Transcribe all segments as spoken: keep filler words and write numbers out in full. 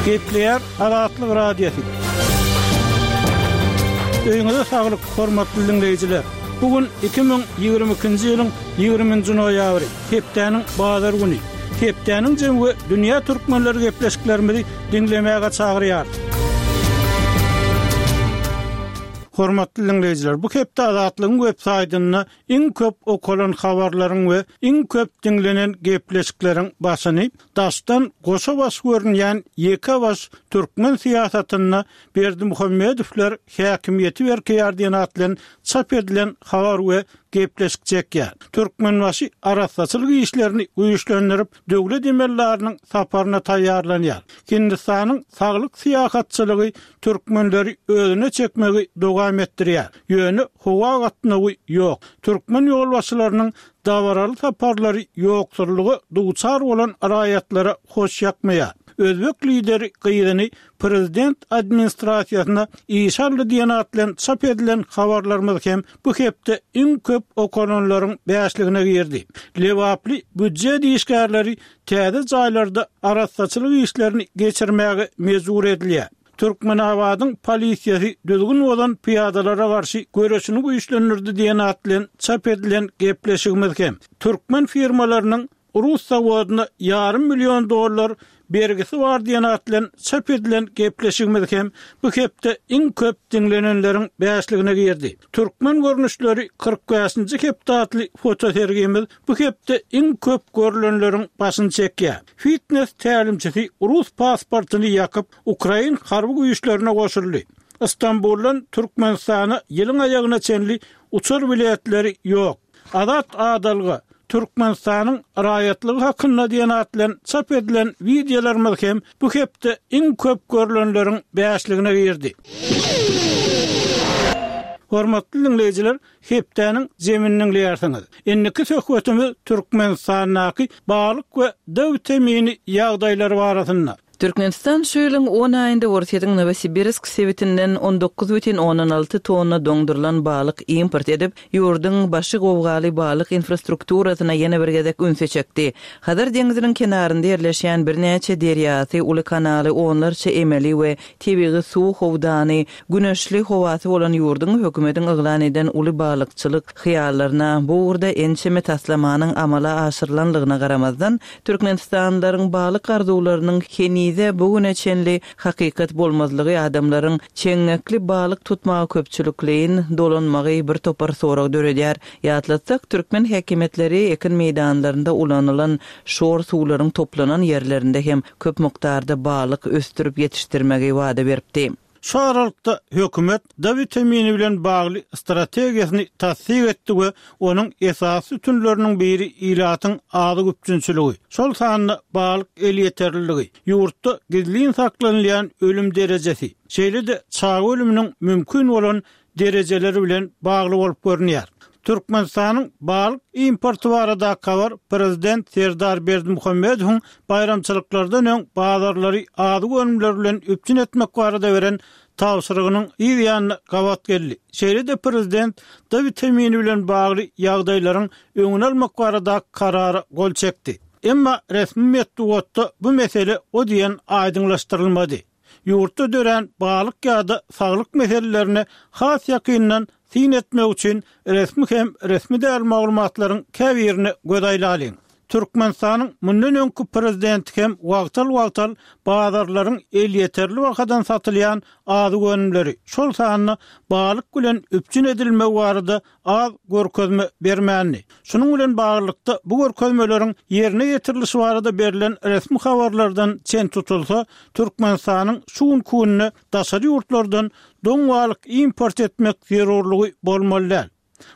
Gepleýär Azatlyk Radiosy. Öýüňize saglyk, hormatly diňleýjiler! Bu gün iki müň ýigrimi ikinji ýylyň ýigriminji noýabry, hepdäniň bazar güni. Hepdäniň jemi we dünýä türkmenleri gepleşiklerimizi diňlemäge çagyrýarys. Hormatly diňleýjiler, bu hepde Azatlygyň web saýtynda iň köp okalan habarlaryň we iň köp diňlenen gepleşikleriň başyny daşdan goşa baş görünýän ýeke baş türkmen syýasatynda Berdimuhamedowlar häkimiýeti berkeýär diýen at bilen çap edilen habar we gepleşik çekýär. Türkmenbaşy arassaçylyk işlerini güýçlendirip, döwlet emeldarynyň saparyna taýýarlanýar. Hindistanyň saglyk syýahatçylygy türkmenleri özüne çekmegi dowam etdirýär. Ýöne howa gatnawy ýok. Türkmen ýolbaşçylarynyň dabaraly saparlary ýoksullyga duçar bolan raýatlara hoş ýakmaýar. Özbek lideri gyzyny prezident administrasiýasyna işe aldy diýen at bilen çap edilen habarlarymyz hem bu hepde iň köp okalanlaryň bäşligine girdi. Lebaply býujet işgärleri täze jaýlarda arassaçylyk işlerini geçirmäge mejbur edilýär. Türkmenabadyň polisiýasy düzgün bozan pyýadalara garşy göreşini güýçlendirdi diýen at bilen çap edilen gepleşigimiz hem türkmen firmalarynyň rus zawodyna ýarym million dollar bergisi bar diýen at bilen çap edilen gepleşigimiz hem bu hepde iň köp diňlenenleriň bäşligine girdi. Türkmen görnüşleri kyrk bäşinji hepde atly fotosergimiz bu hepde iň köp görlenleriň başyny çekýär. Fitness tälimçisi rus pasportyny ýakyp, ukrain harby güýçlerine goşuldy. Istanbuldan Türkmenistana ýylyň aýagyna çenli uçar biletleri ýok. Azat adalga, Türkmenistanyň raýatlygy hakynda diýen at bilen çap edilen wideolarymyz hem bu hepde iň köp görlenleriň bäşligine girdi. Hormatly diňleýjiler, hepdäniň jemini diňleýärsiňiz. Indiki söhbetimiz Türkmenistandaky balyk we D witamini ýagdaýlary barasynda. Türkmenistan şu ýylyň on aýynda Orsýetiň Nowosibirsk sebitinden on dokuz bütin ondan alty tonna doňdurylan balyk import edip, ýurduň başy gowgaly balyk infrastrukturasyna ýene bir gezek ünsi çekdi. Hazar deňziniň kenarynda ýerleşýän birnäçe derýasy, uly kanaly, onlarça emeli we tebigy suw howdany, güneşli howasy bolan ýurduň hökümetiň yglan eden uly balykçylyk hyýallaryna bu ugurda ençeme taslamanyň amala aşyrylanlygyna garamazdan, türkmenistanlylaryň balyk arzuwlarynyň henize bu güne çenli hakykat bolmazlygy adamlaryň çeňňekli balyk tutmaga köpçülikleýin dolanmagy bir topar sorag döredýär. Ýatlatsak, türkmen häkimiýetleri ekin meýdanlarynda ulanylan şor suwlaryň toplanan ýerlerinde hem köp mukdarda balyk ösdürip ýetişdirmegi wada beripdi. Şu aralykda hökümet D witamini bilen bagly strategiýasyny tassyk etdi we onuň esasy sütünleriniň biri ilatyň azyk üpjünçiligi, şol sanda balyk elýeterliligi, ýurtda gizlin saklanylýan ölüm derejesi, şeýle-de çaga ölüminiň mümkin bolan derejeleri bilen bagly bolup görünýär. Türkmenistanyň balyk importy baradaky habar prezident Serdar Berdimuhamedowyň baýramçylyklardan öň bazarlary azyk önümleri bilen üpjün etmek barada beren tabşyrygynyň yz ýanyna gabat geldi. Şeýle-de prezident D witamini bilen bagly ýagdaýlaryň öňüni almak baradaky karara gol çekdi. Emma resmi metbugatda bu mesele o diýen aýdyňlaşdyrylmady. Ýurtda dörän balyk ýa-da saglyk meselelerine has ýakyndan syn etmek üçin resmi hem resmi däl maglumatlaryň käbirine göz aýlalyň. Türkmenistanyň mundan öňki prezidenti hem wagtal-wagtal bazarlaryň elýeterli bahadan satylýan azyk önümleri, şol sanda balyk bilen üpjün edilmegi barada az görkezme bermändi. Şunuň bilen baglylykda bu görkezmeleriň ýerine ýetirilişi barada berlen resmi habarlardan çen tutulsa, Türkmenistanyň şu günki günde daşary ýurtlardan doň balyk import etmek zerurlygy bolmaly däl.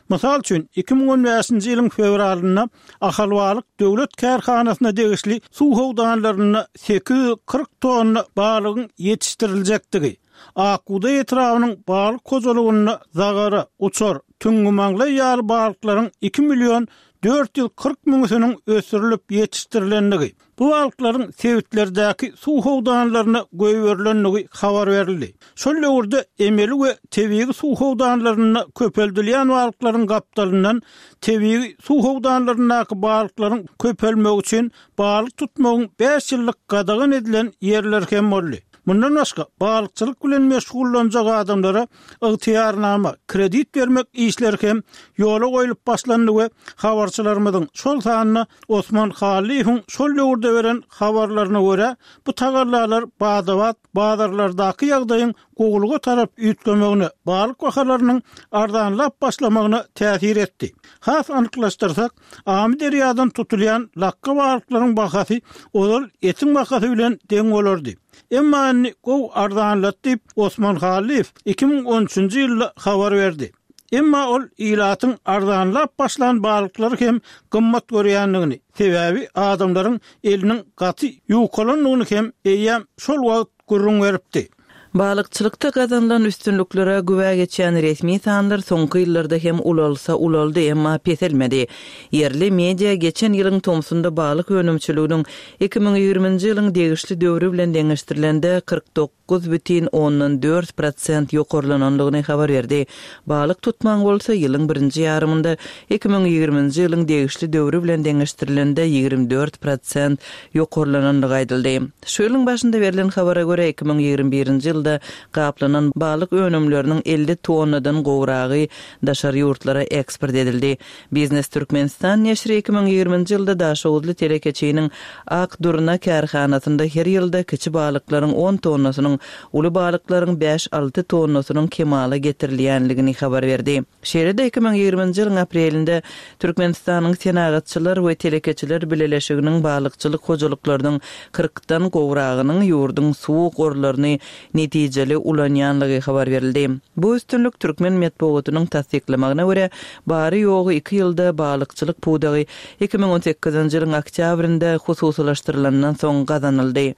Mysal üçin, iki müň on bäşinji ýylyň fewralynda Ahalbalyk döwlet kärhanasyna degişli suw howdanlarynda sekiz ýüz kyrk tonna balygyň ýetişdiriljekdigi, Akbugdaý etrabynyň balyk hojalygynda zagara, uçar, tüňňümaňlaý ýaly balyklaryň iki million dört ýüz kyrk müňüsiniň ösdürilip ýetişdirilendigi, Bu balyklaryň sebitlerdäki suw howdanlaryna goýberilendigi habar berildi. Şol döwürde emeli we tebigy suw howdanlarynda köpeldilýän balyklaryň gapdalyndan tebigy suw howdanlaryndaky balyklaryň köpelmegi üçin balyk tutmagyň bäş ýyllyk gadagan edilen ýerleri hem boldy. Mundan başga balykçylyk bilen meşgullanjak adamlara ygtyýarnama, kredit bermek işleri hem ýola goýlup başlandy we habarçylarymyzyň, şol sanda Osman Hallyýewiň şol döwürde beren habarlaryna görä, bu tagallalar bada-bat bazarlardaky ýagdaýyň gowulyga tarap üýtgemegine, balyk bahalarynyň arzanlap başlamagyna täsir etdi. Has anyklaşdyrsak, Amyderýadan tutulýan lakga balyklaryň bahasy ozal etiň bahasy bilen deň bolardy. Emma indi gowy arzanlady diýip, Osman Hallyýew iki müň on üçünji ýylda habar berdi. Emma ol ilatyň arzanlap başlan balyklary hem gymmat görýändigini, sebäbi adamlaryň eliniň gaty ýukalandygyny hem eýýäm şol wagt gürrüň beripdi. Balykçylykda gazanylan üstünliklere güwä geçýän resmi sanlar soňky ýyllarda hem ulalsa ulaldy, emma peselmedi. Ýerli media geçen ýylyň tomsunda balyk önümçiliginiň iki müň ýigriminji ýylyň degişli döwri bilen deňeşdirilende kyrk dokuz bütin ondan dört prosent ýokarlanandygyny habar berdi. Balyk tutmaň bolsa ýylyň birinji ýarymynda iki müň ýigriminji ýylyň degişli döwri bilen deňeşdirilende ýigrimi dört prosent ýokarlanandygy aýdyldy. Şu ýylyň başynda berlen habara görä iki müň ýigrimi birinji ýylda gaplanan balyk önümleriniň elli tonnadan gowragy daşary ýurtlara eksport edildi. Biznes Türkmenistan neşiri iki müň ýigriminji ýylda Daşoguzly telekeçiniň Ak Durna kärhanasynda her ýylda kiçi balyklaryň on tonnasynyň, uly balyklaryň bäş-alty tonnasynyň kemala getirilýänligini habar berdi. Şeýle-de iki müň ýigriminji ýylyň aprelinde Türkmenistanyň Senagatçylar we telekeçiler bileleşiginiň balykçylyk hojalyklarynyň kyrkdan gowragynyň ýurduň suw gorlaryny netijeli ulanýanlygy habar berildi. Bu üstünlik türkmen metbugatynyň tassyklamagyna görä, bary-ýogy iki ýylda balykçylyk pudagy iki müň on sekizinji ýylyň oktýabrynda hususylaşdyrylandan soň gazanyldy.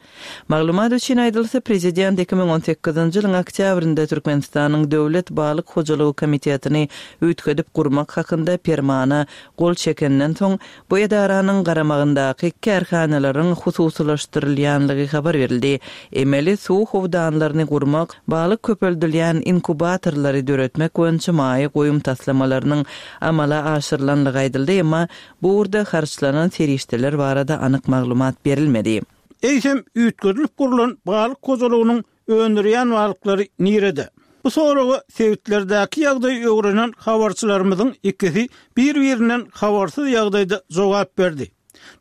Maglumat üçin aýdylsa, prezident iki müň on sekizinji ýylyň oktýabrynda Türkmenistanyň Döwlet balyk hojalygy komitetini üýtgedip gurmak hakynda permana gol çekenden soň, bu edaranyň garamagyndaky kärhanalaryň hususylaşdyrylýanlygy habar berildi. Emeli suw howdanlaryny gurmak, balyk köpeldilýän inkubatorlary döretmek boýunça maýa goýum taslamalarynyň amala aşyrylanlygy aýdyldy, emma bu ugurda harçlanan serişdeler barada anyk maglumat berilmedi. Eýsem, üýtgedilip gurlan balyk hojalygynyň öndürýän balyklary nirede? Bu soraga sebitlerdäki ýagdaýy öwrenen habarçylarymyzyň ikisi bir-birinden habarsyz ýagdaýda jogap berdi.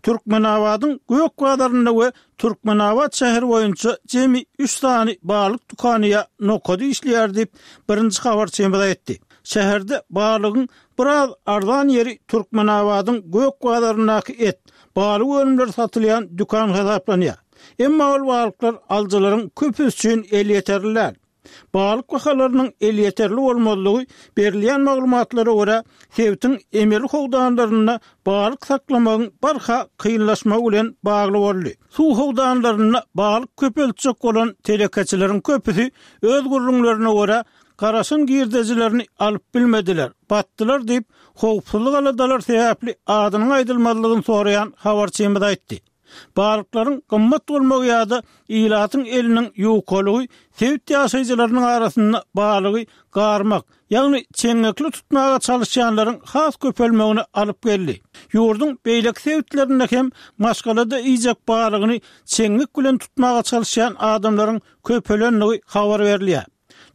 Türkmenabadyň Gök bazarynda we Türkmenabat şäheri boýunça jemi üç sany balyk dükany ýa nokady işleýär diýip, birinji habarçymyz aýtdy. Şäherde balygyň biraz arzan ýeri Türkmenabadyň Gök bazaryndaky et, balyk önümleri satylýan dükan hasaplanýar. Emma ol balyklar alyjylaryň köpüsi üçin elýeterli däl. Balyk bahalarynyň elýeterli bolmazlygy berilýän maglumatlara görä, sebitiň emeli howdanlarynda balyk saklamagyň barha kynlaşmagy bilen bagly boldy. Suw howdanlarynda balyk köpeltjek bolan telekeçileriň köpüsi öz gürrüňlerine görä, garaşan girdejilerini alyp bilmediler, batdylar diýip, howpsuzlyk aladalar sebäpli adynyň aýdylmazlygyny soraýan habarçymyz aýtdy. Balyklaryň gymmat bolmagy ýa-da ilatyň eliniň ýukalygy sebit ýaşaýjylarynyň arasynda balygy garmak, ýagny çeňňekli tutmaga çalyşýanlaryň has köpelmegine alyp geldi. Ýurduň beýleki sebitlerinde hem maşgalada iýjek balygyny çeňňek bilen tutmaga çalyşýan adamlaryň köpelendigi habar berilýär.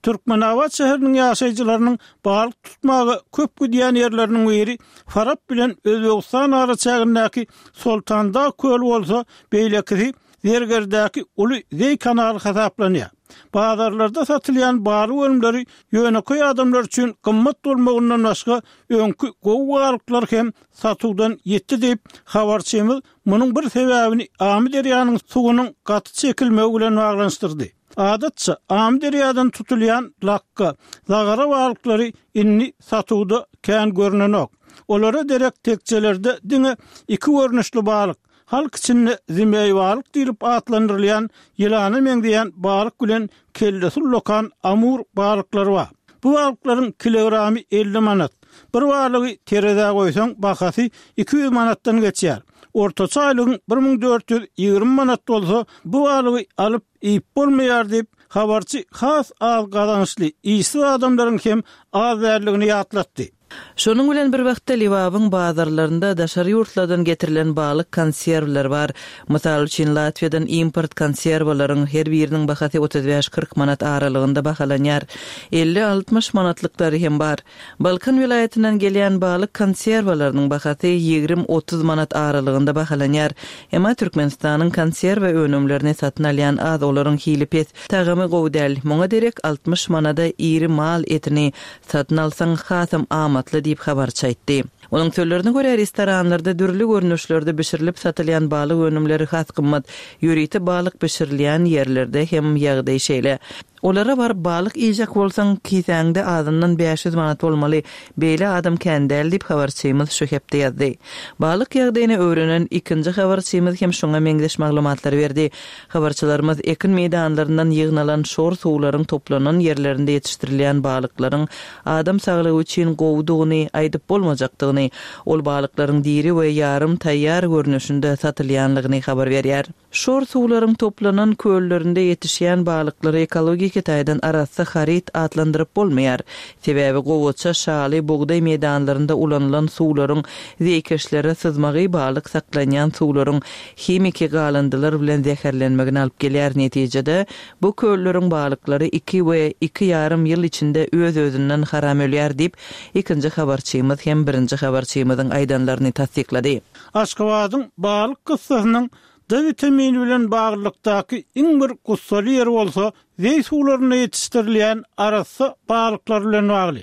Türkmenabat şäheriniň ýaşaýjylarynyň balyk tutmaga köp gidýän ýerleriniň biri Farap bilen Özbegistan araçägindäki Soltandag köli bolsa, beýlekisi Zergerdäki uly Zeý kanaly hasaplanýar. Bazarlarda satylýan balyk önümleri ýönekeý adamlar üçin gymmat bolmagyndan başga öňki gowy balyklar hem satuwdan ýitdi diýip, habarçymyz munuň bir sebäbini Amyderýanyň suwunyň gaty çekilmegi bilen baglanyşdyrdy. Adatça, Amyderýadan tutulýan lakga, zagara balyklary indi satuwda kän görnenok. Olara derek tekjelerde diňe iki görnüşli balyk, halk içinde zimeý balyk diýlip atlandyrylýan ýylana meňzeýän balyk bilen kellesi ullakan amur balyklary bar. Bu balyklaryň kilogramy elli manat. Bir balygy terezä goýsaň, bahasy iki ýüz manatdan geçýär. Ortaça aýlygyň bir müň dört ýüz ýigrimi manat bolsa, bu balygy alyp iýip bolmaýar diýip, habarçy has az gazançly işsiz adamlaryň hem az däldigini ýatlatdy. Şonuň bilen bir wagtda Lebabyň bazarlarynda daşary ýurtlardan getirilen balyk konserwleri bar. Mysal üçin, Latwiýadan import konserwalaryň her biriniň bahasy otuz bäş-kyrk manat aralygynda bahalanýar. Elli-altmyş manatlyklary hem bar. Balkan welaýatyndan gelýän balyk konserwalarynyň bahasy ýigrimi-otuz manat aralygynda bahalanýar. Emma Türkmenistanyň konserwa önümlerini satyn alýan az, olaryň hili pes, tagamy gowy däl. Muňa derek altmyş manada iri mal etini satyn alsaň hasam amatly diýip habarçy aýtdy. Onuň sözlerine görä, restoranlarda dürli görnüşlerde bişirilip satylýan balyk önümleri has gymmat, ýörite balyk bişirilýän ýerlerde hem ýagdaý şeýle. Olara baryp balyk iýjek bolsaň, kisäňde azyndan bäş ýüz manat bolmaly, beýle adam kän däl diýip habarçymyz şu hepde ýazdy. Balyk ýagdaýyny öwrenen ikinji habarçymyz hem şoňa meňzeş maglumatlary berdi. Habarçylarymyz ekin meýdanlaryndan ýygnalan şor suwlaryň toplanan ýerlerinde ýetişdirilýän balyklaryň adam saglygy üçin gowudygyny aýdyp bolmajakdygyny, ol balyklaryň diri we ýarym taýýar görnüşinde satylýanlygyny habar berýär. Şor suwlaryň toplanan köllerinde ýetişýän balyklary ekologiki taýdan arassa haryt atlandyryp bolmaýar. Sebäbi gowaça, şaly, bugdaý meýdanlarynda ulanylan suwlaryň zeýkeşlere syzmagy balyk saklanýan suwlaryň himiki galyndylar bilen zäherlenmegini alyp gelýär. Netijede bu kölleriň balyklary iki we iki ýarym ýyl içinde öz-özünden haram ölýär diýip, ikinji habarçymyz hem birinji habarçymyzyň aýdanlaryny tassyklady. Aşgabadyň balyk kyssasynyň D vitamini bilen baglylykdaky iň bir gussaly ýeri bolsa, zeý suwlarynda ýetişdirilýän arassa balyklar bilen bagly.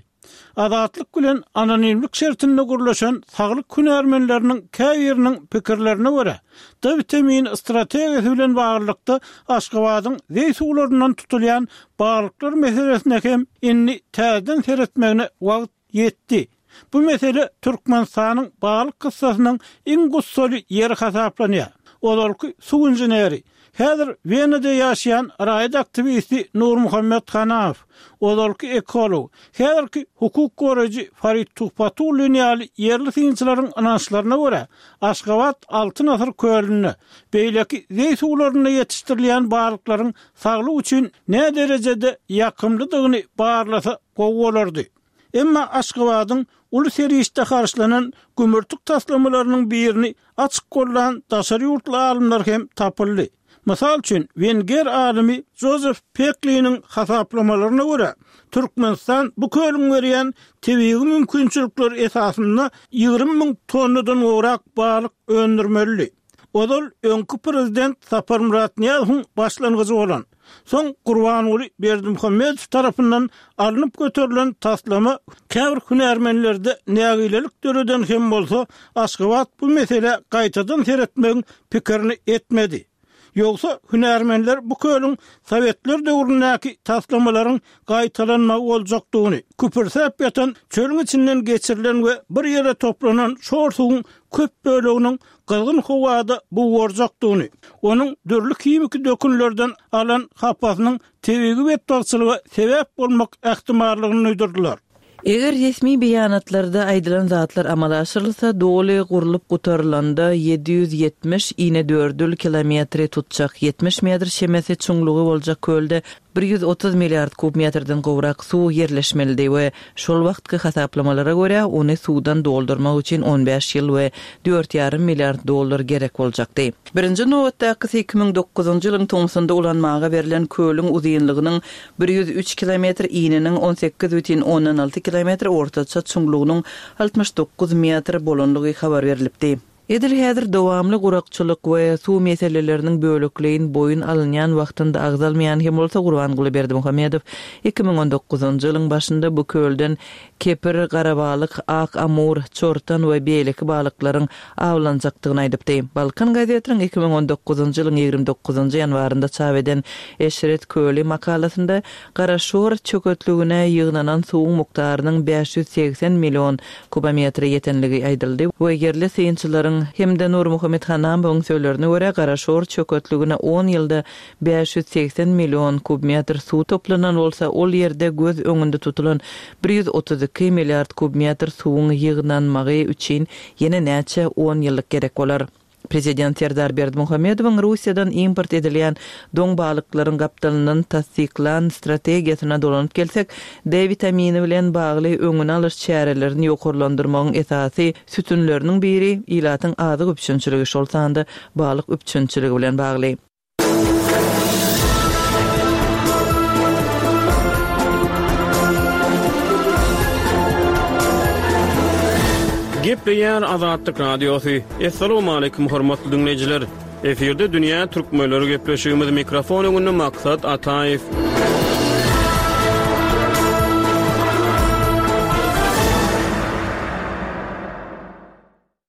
Azatlyk bilen anonimlik şertinde gurlaşan saglyk hünärmenleriniň käbiriniň pikirlerine görä, D vitamini strategiýasy bilen baglylykda Aşgabadyň zeý suwlaryndan tutulýan balyklar meselesine hem indi täzeden seretmegine wagt ýetdi. Bu mesele Türkmenistanyň balyk kyssasynyň iň gussaly ýeri hasaplanýar. Ozalky suw inženeri, häzir Wenada ýaşaýan raýat aktiwisti Nurmuhammet Hanamow, ozalky ekolog, häzirki hukuk goraýjy Farid Tuhbatullin ýaly ýerli synçylaryň ynançlaryna görä, Aşgabat Altyn asyr kölünde, beýleki zeý suwlarynda ýetişdirilýän balyklaryň saglyk üçin nä derejede ýakymlydygyny barlasa gowy bolardy. Emma Aşgabadyň uly serişde harçlanan gümürtik taslamalarynyň birini açyk gollan daşary ýurtly alymlar hem tapyldy. Mysal üçin, wenger alymy Jozef Pekliniň hasaplamalaryna görä, Türkmenistan bu kölüň berýän tebigy mümkinçilikleri esasynda ýigrimi müň tonnadan gowrak balyk öndürmelidi. Ozal öňki prezident Saparmyrat Nyýazowyň başlangyjy bolan, soň Gurbanguly Berdimuhamedow tarapyndan alnyp göterilen taslama käbir hünärmenlerde nägilelik döreden hem bolsa, Aşgabat bu meselä gaýtadan seretmegiň pikirini etmedi. Ýogsa hünärmenler bu kölüň Sowetler döwründäki taslamalaryň gaýtalanmagy boljakdygyny, küpürsäp ýatan çölüň içinden geçirilen we bir ýere toplanan şor suwuň köp böleginiň gyzgyn howada bugarjakdygyny, onuň dürli himiki dökünlerden alan hapasynyň tebigy betbagtçylyga sebäp bolmak ähtimallygyny duýdurdylar. Eger resmi beýanatlarda aýdylan zatlar amala aşyrylsa, doly gurlup gutarylanda ýedi ýüz ýetmiş inedördül kilometri tutjak ýetmiş metr çemesi çuňlugy boljak kölde bir ýüz otuz milliard kub metrden gowrak suw ýerleşmelidi we şol wagtky hasaplamalara görä ony suwdan doldurmak üçin on bäş ýyl we dört ýarym milliard dollar gerek boljakdy. Birinji nobatdakysy iki müň dokuzynjy ýylyň tomsunda ulanmaga berlen kölüň uzynlygynyň bir ýüz üç kilometr, ininiň on sekiz bütin ondan alty kilometr, ortaça çuňlugynyň altmyş dokuz metr bolanlygy habar berlipdi. Edil häzir dowamly gurakçylyk we suw meseleleriniň bölekleýin boýun alynýan wagtynda agzalmaýan hem bolsa Gurbanguly Berdimuhamedow iki müň on dokuzynjy ýylyň başynda bu kölden kepir, garabalyk, ak amur, çortan we beýleki balyklaryň awlanjakdygyny aýdypdy. Balkan gazetiniň iki müň on dokuzynjy ýylyň ýigrimi dokuzynjy ýanwarynda çap eden Eşret köli makalasynda Garaşor çöketligine ýygnanan suwuň mukdarynyň bäş ýüz segsen million kubometre ýetenligi aýdyldy we ýerli synçylaryň hem-de Nurmuhammet Hanamowyň sözlerine görä Garaşor çöketligine on ýylda bäş ýüz segsen million kubmetr suw toplanan bolsa, ol ýerde göz öňünde tutulan bir ýüz otuz iki milliard kubmetr suwuň ýygnanmagy üçin ýene näçe on ýyllyk gerek bolar. Prezident Serdar Berdimuhamedowyň Russiýadan import edilýän doň balyklaryň gapdalyndan tassyklan strategiýasyna dolanyp gelsek, D witamini bilen bagly öňüni alyş çärelerini ýokarlandyrmagyň esasy sütünleriniň biri ilatyň azyk üpjünçiligi, şol sanda balyk üpjünçiligi bilen bagly. Gepleýär Azatlyk Radiosy. Assalamualaikum hormatly dinleýjiler. Efirde Dünýä Türkmenleri gepleşigimiz mikrofon öňünde Maksat Ataýew.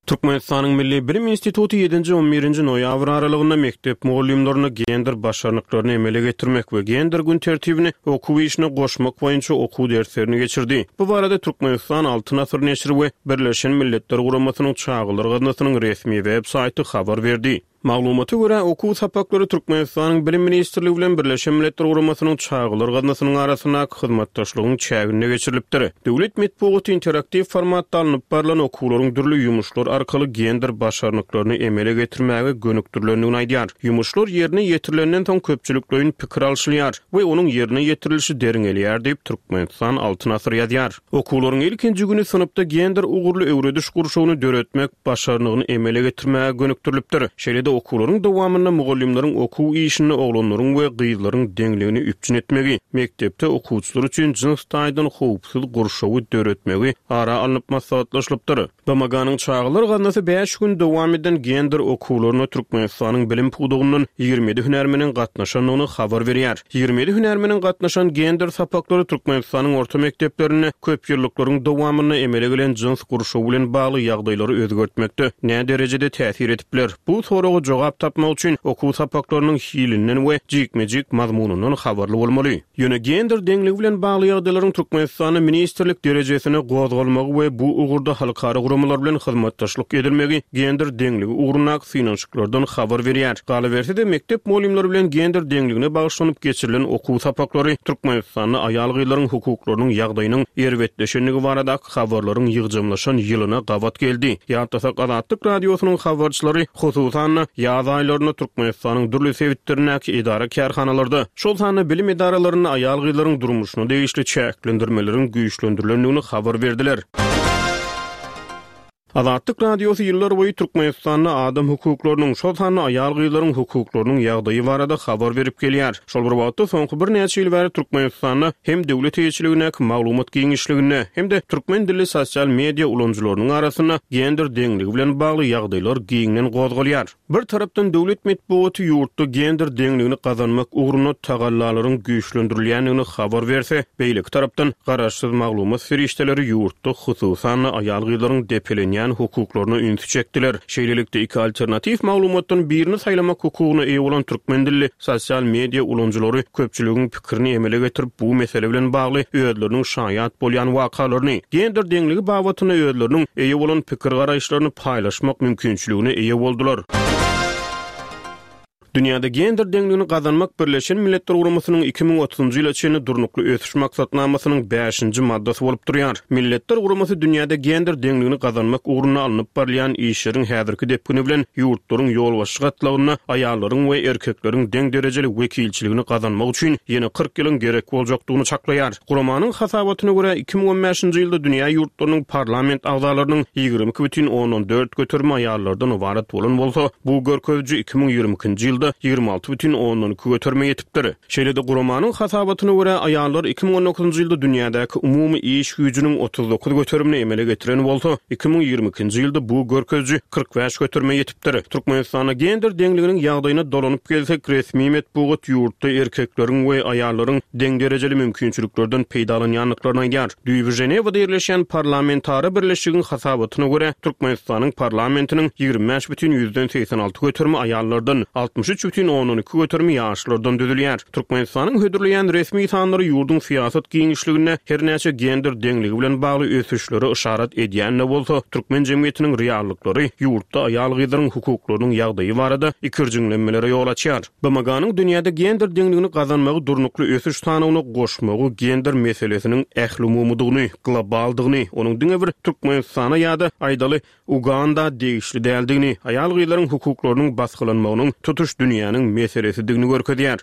Türkmenistanyň Milli Bilim Instituty ýedinji on birinji noýabr aralygynda mekdep mugallymlaryna gender başarnyklaryny emele getirmek we gender gün tertibini okuw işine goşmak boýunça okuw derslerini geçirdi. Bu barada Türkmenistan Altyn Asyr neşiri we Birleşen Milletler Guramasynyň Çagalar Gaznasynyň resmi web saýty habar berdi. Maglumata görä, okuw sapaklary Türkmenistanyň Bilim Ministrligi bilen Birleşen Milletler Guramasynyň Çagalar Gaznasynyň arasyndaky hyzmatdaşlygyň çäginde geçirilipdir. Döwlet metbugaty interaktiw formatda alnyp barylan okuwlaryň dürli ýumuşlar arkaly gender başarnyklaryny emele getirmäge gönükdirilendigini aýdýar. Ýumuşlar ýerine ýetirilenden soň köpçülikleýin pikir alşylýar we onuň ýerine ýetirilişi derňelýär diýip Türkmenistan Altyn Asyr ýazýar. Okuwlaryň ilkinji güni synpda gender ugurly öwrediş gurşawyny döretmek başarnygyny emele getirmäge gönükdirilipdir. Şeýle-de okuwlaryň dowamynda mugallymlaryň okuw işinde oglanlaryň we gyzlaryň deňligini üpjün etmegi, mekdepde okuwçylar üçin jyns taýdan howpsuz gurşawy döretmegi ara alnyp maslahatlaşylypdyr. B M G-nyň Çagalar Gaznasy bäş gün dowam eden gender okuwlaryna Türkmenistanyň bilim pudagyndan ýigrimi ýedi hünärmeniň gatnaşandygyny habar berýär. Ýigrimi ýedi hünärmeniň gatnaşan gender sapaklary Türkmenistanyň orta mekdeplerinde köp ýyllyklaryň dowamynda emele gelen jyns gurşawy bilen bagly ýagdaýlary özgertmekde nä derejede täsir edip biler? Bu soraga jogap tapmak üçin okuw sapaklarynyň hilinden we jikme-jik mazmunyndan habarly bolmaly. Ýöne gender deňligi bilen bagly ýagdaýlaryň Türkmenistanda ministrlik derejesine gozgalmagy we bu ugurda halkara guramalar bilen hyzmatdaşlyk edilmegi gender deňligi ugrundaky synanyşyklardan habar berýär. Galyberse-de mekdep mugallymlary bilen gender deňligine bagyşlanyp geçirilen okuw sapaklary Türkmenistanda aýal-gyzlaryň hukuklarynyň ýagdaýynyň erbetleşendigi baradaky habarlaryň ýygjamlaşan ýylyna gabat geldi. Ýatlasak Azatlyk Radiosynyň habarçylary hususan-da ýaz aýlarynda Türkmenistanyň dürli sebitlerindäki edara kärhanalarda, şol sanda bilim edaralarynda aýal-gyzlaryň durmuşyna degişli çäklendirmeleriň güýçlendirilendigini habar berdiler. Azatlyk Radiosy ýyllar boýy Türkmenistanda adam hukuklarynyň, şol sanda aýal-gyzlaryň hukuklarynyň ýagdaýy barada habar berip gelýär. Şol bir wagtda soňky birnäçe ýyl bäri Türkmenistanda hem döwlet eýeçiligindäki maglumat giňişliginde, hem-de türkmen dilli sosial media ulanyjylarynyň arasynda gender deňligi bilen bagly ýagdaýlar giňden gozgalýar. Bir tarapdan döwlet metbugaty ýurtda gender deňligini gazanmak ugrunda tagallalaryň güýçlendirilýändigini habar berse, beýleki tarapdan garaşsyz maglumat serişdeleri ýurtda hususan-da aýal-gyzlaryň depelenýän hukuklaryna ünsi çekdiler. Şeýlelikde iki alternatiw maglumatdan birini saýlamak hukugyna eýe bolan türkmen dilli sosial media ulanyjylary köpçüligiň pikirini emele getirip, bu mesele bilen bagly özleriniň şaýat bolýan wakalaryny, gender deňligi babatynda özleriniň eýe bolan pikir garaýyşlaryny paýlaşmak mümkinçiligine eýe boldular. Dünýäde gender deňligini gazanmak Birleşen Milletler Guramasynyň iki müň otuzunjy ýyla çenli durnukly ösüş maksatnamasynyň bäşinji maddasy bolup durýar. Milletler Guramasy dünýäde gender deňligini gazanmak ugrunda alnyp barylýan işleriň häzirki depgini bilen ýurtlaryň ýolbaşçy gatlagynda aýallaryň we erkekleriň deň derejeli wekilçiligini gazanmak üçin ýene kyrk ýylyň gerek boljakdygyny çaklaýar. Guramanyň hasabatyna görä iki müň on bäşinji ýylda dünýä ýurtlarynyň parlament agzalarynyň ýigrimi iki bütin ondan dört göterimi aýallardan ybarat bolan bolsa, bu görkeziji iki müň ýigrimi ikinji ýylda ýigrimi alty bütin ondan iki göterime ýetipdir. Şeýle-de guramanyň hasabatyna görä aýallar iki müň on dokuzunjy ýylda dünýädäki umumy iş güýjüniň otuz dokuz göterimini emele getiren bolsa, iki müň ýigrimi ikinji ýylda bu görkeziji kyrk bäş göterime ýetipdir. Türkmenistanda gender deňliginiň ýagdaýyna dolanyp gelsek, resmi metbugat ýurtda erkekleriň we aýallaryň deň derejeli mümkinçiliklerden peýdalanýandyklaryny aýdýar. Düýbi Ženewada ýerleşýän parlamentara birleşigiň hasabatyna görä, Türkmenistanyň parlamentiniň ýigrimi bäş bütin ýüzden segsen alty göterimi aýallardan, altmyş Altmyş üç bütin ondan iki göterimi ýaşlardan düzülýär. Türkmenistanyň hödürleýän resmi sanlary ýurduň syýasat giňişliginde her näçe gender deňligi bilen bagly ösüşlere yşarat edýän-de bolsa, türkmen jemgyýetiniň reallyklary ýurtda aýal-gyzlaryň hukuklarynyň ýagdaýy barada ikirjiňlenmelere ýol açýar. B M G-nyň dünýäde gender deňligini gazanmagy durnukly ösüş sanawyna goşmagy gender meselesiniň ählumumydygyny, globaldygyny, onuň diňe bir Türkmenistana ýa-da, aýdaly, Uganda degişli däldigini, aýal-gyzlaryň hukuklarynyň basgylanmagynyň tutuş dünýäniň meselesidigini görkezýär.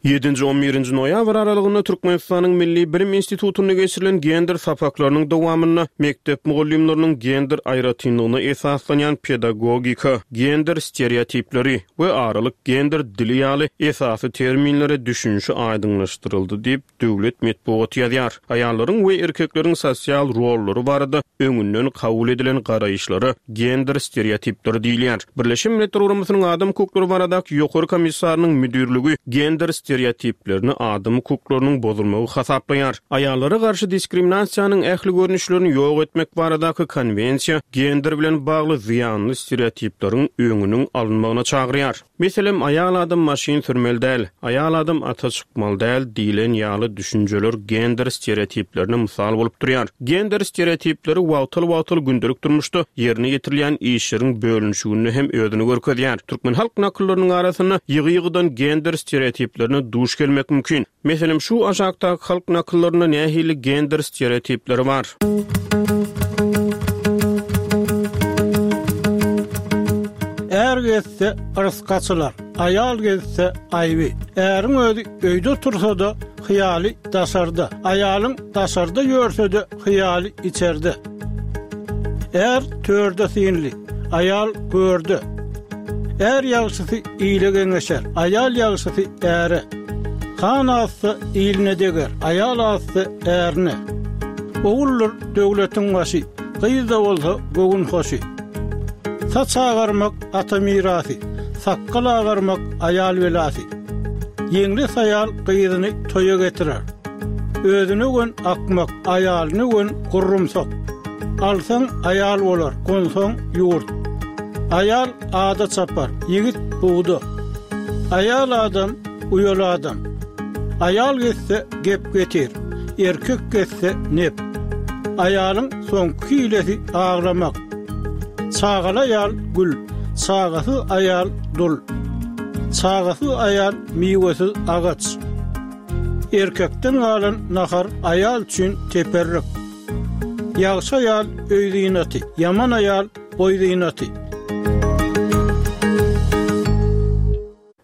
Ýedinji-on birinji noýabr aralygynda Türkmenistanyň Milli bilim institutynda geçirilen gender sapaklarynyň dowamynda mekdep mugallymlarynyň gender aýratynlygyna esaslanýan pedagogika, gender stereotipleri we aralyk gender dili ýaly esasy terminlere düşünişi aýdyňlaşdyryldy diýip, döwlet metbugaty ýazýar. Aýallaryň we erkekleriň sosial rollary barada öňünden kabul edilen garaýyşlara gender stereotipleri diýilýär. Birleşen Milletler Guramasynyň Adam hukuklary baradaky Ýokary komissarynyň müdirligi gender stereotiplerini adam hukuklarynyň bozulmagy hasaplaýar. Aýallara garşy diskriminasiýanyň ähli görnüşlerini ýok etmek baradaky konwensiýa gender bilen bagly zyýanly stereotipleriň öňüniň alynmagyna çagyrýar. Meselem, aýal adam maşyn sürmeli däl, aýal adam ata çykmaly däl diýlen ýaly düşünjeler gender stereotiplerine mysal bolup durýar. Gender stereotipleri wagtal-wagtal gündelik durmuşda ýerine ýetirilýän işleriň bölünişiginde hem özüni görkezýär. Türkmen halk nakyllarynyň arasynda ýygy-ýygydan gender stereotiplerine duş gelmek mümkin. Meselem, şu aşakdaky halk nakyllarynda nähili gender stereotipleri bar? Är gezse yrs gaçylar, aýal gezse aýby. Äriň özi öýde otursa-da hyýaly daşarda. Aýalyň daşarda ýörse-de hyýaly içerde. Är törde synly, aýal görde. Är ýagşysy ile geňeşer, aýal ýagşysy äre. Han azsa iline deger, aýal azsa ärine. Oguldyr döwletiň başy, gyz-da bolsa göwün hoşy. Saç agarmak ata mirasy, sakgal agarmak aýal belasy. Ýeňles aýal gyzyny toýa getirer. Özüne gün akmak, aýalyny gün gurrumsak. Alsaň aýal bolar, gonsaň ýurt. Aýal ada çapar, ýigit bugda. Aýal adam, uýaly adam. Aýal gezse gep getir, erkek gezse nep. Aýalyň soňky hilesi aglamak. Çagaly aýal gül, çagasyz aýal dul. Çagasyz aýal miwesiz agaç. Erkekden galan nahar aýal üçin teperrik. Ýagşy aýal öý zynaty, ýaman aýal boý zynaty.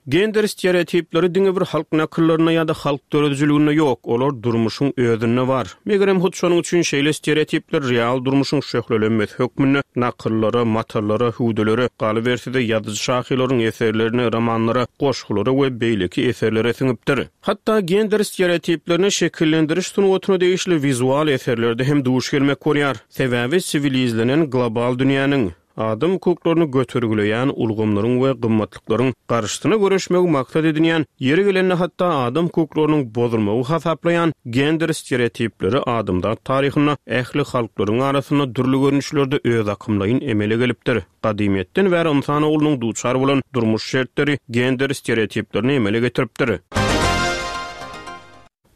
Gender stereotipleri diňe bir halk nakyllarynda ýa-da halk döredijiliginde ýok, olar durmuşyň özünde bar. Megerem hut şonuň üçin şeýle stereotipler real durmuşyň şöhlelenmesi hökmünde nakyllara, matallara, hüwdülere, galyberse-de ýazyjy-şahyrlaryň eserlerine, romanlara, goşgulara we beýleki eserlere siňipdir. Hatda gender stereotiplerine şekillendiriş sungatyna degişli wizual eserlerde hem duş gelmek bolýar. Sebäbi siwilizlenen global dünýäniň adam hukuklaryny götergileýän ulgamlaryň we gymmatlyklaryň garşysyna göreşmegi maksat edinýän, ýeri gelende hatda adam hukuklarynyň bozulmagy hasaplaýan gender stereotipleri adamzat taryhynda ähli halklaryň arasynda dürli görnüşlerde öz akymlaýyn emele gelipdir. Gadymyýetden bäri ynsan oglunyň duçar bolan durmuş şertleri gender stereotiplerini emele getiripdir.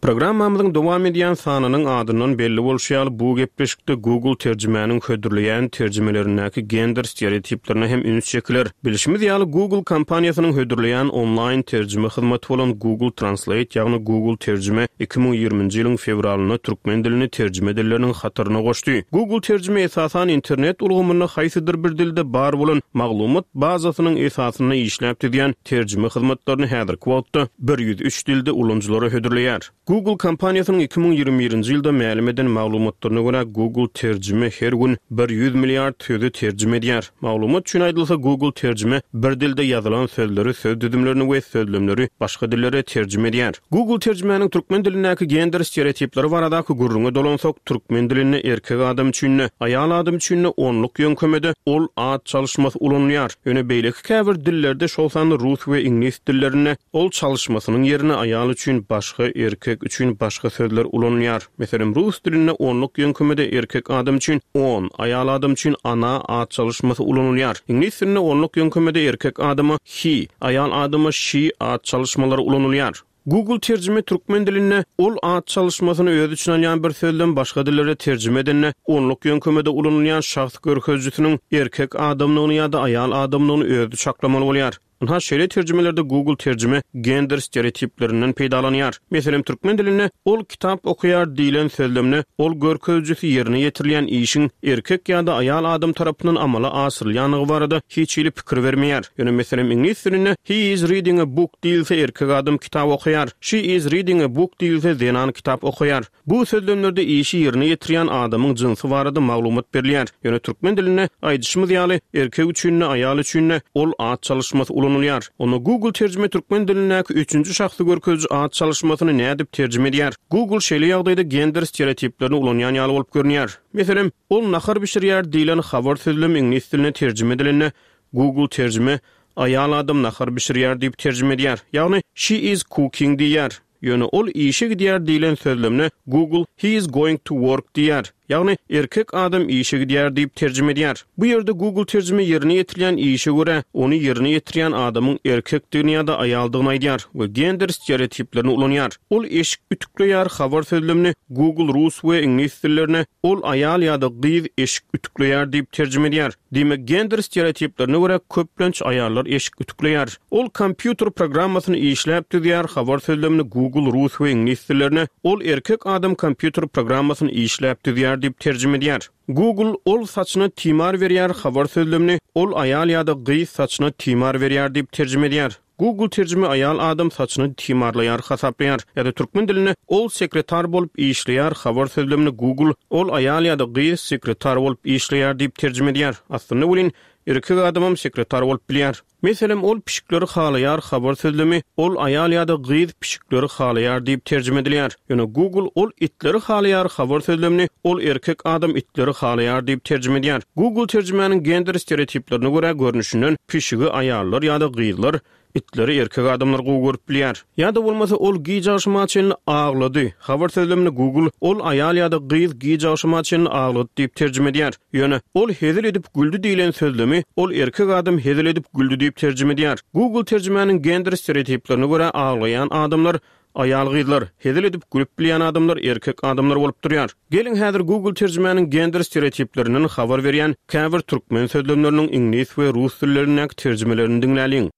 Programmamyzyň dowam edýän sanynyň adyndan belli bolşy ýaly, bu gepleşikde Google terjimäniň hödürleýän terjimelerindäki gender stereotiplerine hem üns çekiler. Bilşimiz ýaly, Google kompaniýasynyň hödürleýän onlaýn terjime hyzmaty bolan Google Translate, ýagny Google terjime iki müň ýigriminji ýylyň fewralynda türkmen dilini terjime dilleriniň hataryna goşdy. Google terjime esasan internet ulgamynda haýsydyr bir dilde bar bolan maglumat bazasynyň esasynda işläp düzýän terjime hyzmatlaryny häzirki wagtda bir ýüz üç dilde ulanyjylara hödürleýär. Google kompaniýasynyň iki müň ýigrimi birinji ýylda mälim eden maglumatlaryna görä, Google terjime her gün bir ýüz milliard sözi terjime edýär. Maglumat üçin aýdylsa, Google terjime bir dilde ýazylan sözleri, söz düzümlerini we sözlemleri başga dillere terjime edýär. Google terjimäniň türkmen dilindäki gender stereotipleri baradaky gürrüňe dolansak, türkmen dilinde erkek adam üçin-de, aýal adam üçin-de onluk ýöňkemede ol at çalyşmasy ulanylýar. Ýöne beýleki käbir dillerde, şol sanda rus we iňlis dillerinde ol çalyşmasynyň ýerine aýal üçin başga erkek Erkek üçin başga sözler ulanylýar. Meselem, rus dilinde onluk ýöňkemede erkek adam üçin on, aýal adam üçin ana at çalyşmasy ulanylýar. Iňlis dilinde onluk ýöňkemede erkek adama he, aýal adama she at çalyşmalary ulanylýar. Google terjime türkmen dilinde ol at çalyşmasyny öz içine alýan bir sözlem başga dillere terjime edende onluk ýöňkemede ulanylýan şahs görkezijisiniň erkek adamlygyny ýa-da aýal adamlygyny özi çaklamaly bolýar. Ynha şeýle terjimelerde Google terjime gender stereotiplerinden peýdalanýar. Meselem, türkmen dilinde ol kitap okaýar diýlen sözlemde ol görkezijisi ýerine ýetirilýän işiň erkek ýa-da aýal adam tarapyndan amala aşyrylýanlygy barada hiç hili pikir bermeýär. Ýöne meselem iňlis dilinde he is reading a book diýilse erkek adam kitap okaýar. She is reading a book diýilse zenan kitap okaýar. Bu sözlemlerde işi ýerine ýetirýän adamyň jynsy barada maglumat berilýär. Ýöne türkmen dilinde aýdyşymyz ýaly erkek üçin-de aýal üçin-de ol at çalyşmasy ulanylýar. Onda Google terjime türkmen dilindäki üçünji şahsy görkeziji at çalyşmasyny nädip terjime edýär? Google şeýle ýagdaýda gender stereotiplerini ulanýan ýaly bolup görünýär. Meselem, ol nahar bişirýär diýlen habar sözlemi iňlis diline terjime edilende Google terjime aýal adam nahar bişirýär diýip terjime edýär. Ýagny she is cooking diýýär. Ýöne ol işe gidýär diýlen sözlemne Google he is going to work diýär. Ýagny erkek adam işe gidýär diýip terjime edýär. Bu ýerde Google terjime ýerine ýetirilýän işe görä ony ýerine ýetirýän adamyň erkekdigini ýa-da aýaldygyny aýdýar we gender stereotiplerini ulanýar. Ol eşik ütükleýär habar sözlemini Google rus we iňlis dillerine ol aýal ýa-da gyz eşik ütükleýär diýip terjime edýär. Diýmek gender stereotiplerine görä köplenç aýallar eşik ütükleýär. Ol kompýuter programmasyny işläp düzýär habar sözlemini Google rus we iňlis dillerine ol erkek adam kompýuter programmasyny işläp düzýär diýip terjime edýär. Google ol saçyna timar berýär habar sözlemini ol aýal ýa-da gyz saçyna timar berýär diýip terjime edýär. Google terjime aýal adam saçyny timarlaýar hasaplaýar. Ýa-da türkmen dilinde ol sekretar bolup işleýär habar sözlemini Google ol aýal ýa-da gyz sekretar bolup işleýär diýip terjime edýär. Aslynda welin erkek adamam sekretar bolup bilýär. Meselem, ol pişikleri halaýar habar sözlemi ol aýal ýa-da gyz pişikleri halaýar diýip terjime edilýär. Ýöne Google ol itleri halaýar habar sözlemini ol erkek adam itleri halaýar diýip terjime edýär. Google terjimäniň gender stereotiplerine görä görnüşinden pişigi aýallar ýa-da gyzlar, itleri erkek adamlar gowy görüp bilýär. Ýa-da bolmasa ol gije agşama çenli aglady. Habar sözlemini Google ol aýal ýa-da gyz gije agşama çenli aglady diýip terjime edýär. Ýöne ol hezil edip güldi diýlen sözlemi ol erkek adam hezil edip güldi diýip terjime edýär. Google terjimäniň gender stereotiplerine görä aglaýan adamlar aýal gyzlar, hezil edip gülüp bilýän adamlar erkek adamlar bolup durýar. Geliň häzir Google terjimäniň gender stereotiplerinden habar berýän käbir türkmen sözlemleriniň iňlis we rus dillerindäki terjimelerini diňläliň.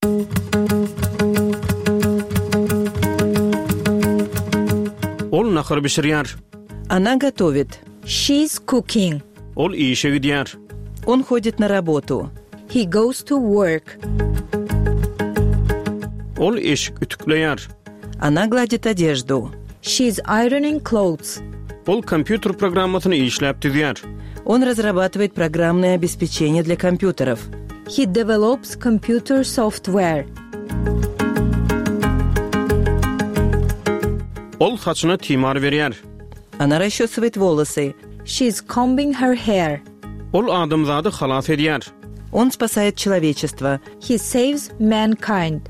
Ol nahar bişirýär. Она готовит. She's cooking. Ol işe gidýär. Он ходит на работу. He goes to work. Ol eşik ütükleýär. Она гладит одежду. She's ironing clothes. Ol kompýuter programmasyny işläp düzýär. Он разрабатывает программное обеспечение для компьютеров. He develops computer software. Ol saçyna timar berýär. Она расчесывает волосы. She's combing her hair. Ol adamzady halas edýär. Он спасает человечество. He saves mankind.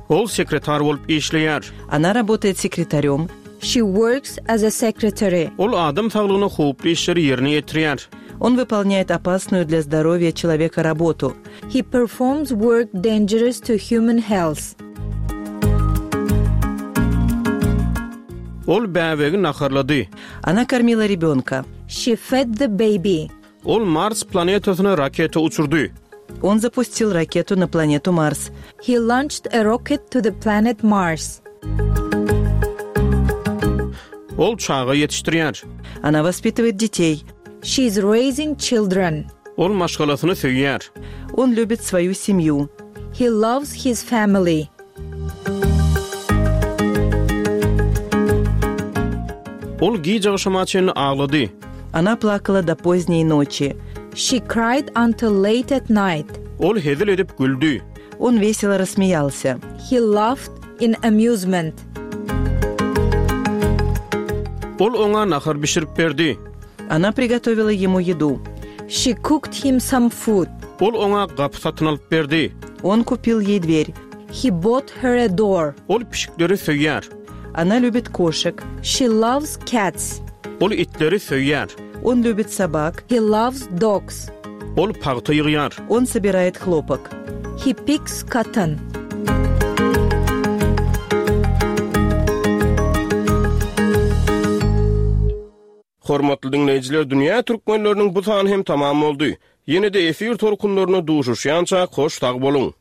Ol sekretar bolup işleýär. Она работает секретарем. She works as a secretary. Ol adam saglygyna howply işleri ýerine ýetirýär. Он выполняет опасную для здоровья человека работу. He performs work dangerous to human health. Ol bäbegi naharlady. Она кормила ребенка. She fed the baby. Ol Mars planetasyna raketa uçurdy. Он запустил ракету на планету Марс. He launched a rocket to the planet Mars. Ol çaga ýetişdirýär. Она воспитывает детей. She's raising children. Ol maşgalasyny söýýär. Он любит свою семью. He loves his family. Ol gije agşama çenli aglady. Она плакала до поздней ночи. She cried until late at night. Ol hezil edip güldi. Он весело рассмеялся. He laughed in amusement. Ol oňa nahar bişirip berdi. Она приготовила ему еду. She cooked him some food. Ol oňa gapy satyn alyp berdi. Он купил ей дверь. He bought her a door. Ol pişikleri söýýär. Она любит кошек. She loves cats. Ol itleri söýýär. Он любит собак. He loves dogs. Ol pagta ýygýar. Он собирает хлопок. He picks cotton. Hormatly diňleýjiler, dünýä türkmenleriniň bu sany hem tamam boldy. Ýene-de efir tolkunlaryna duşuşýança hoş sag boluň.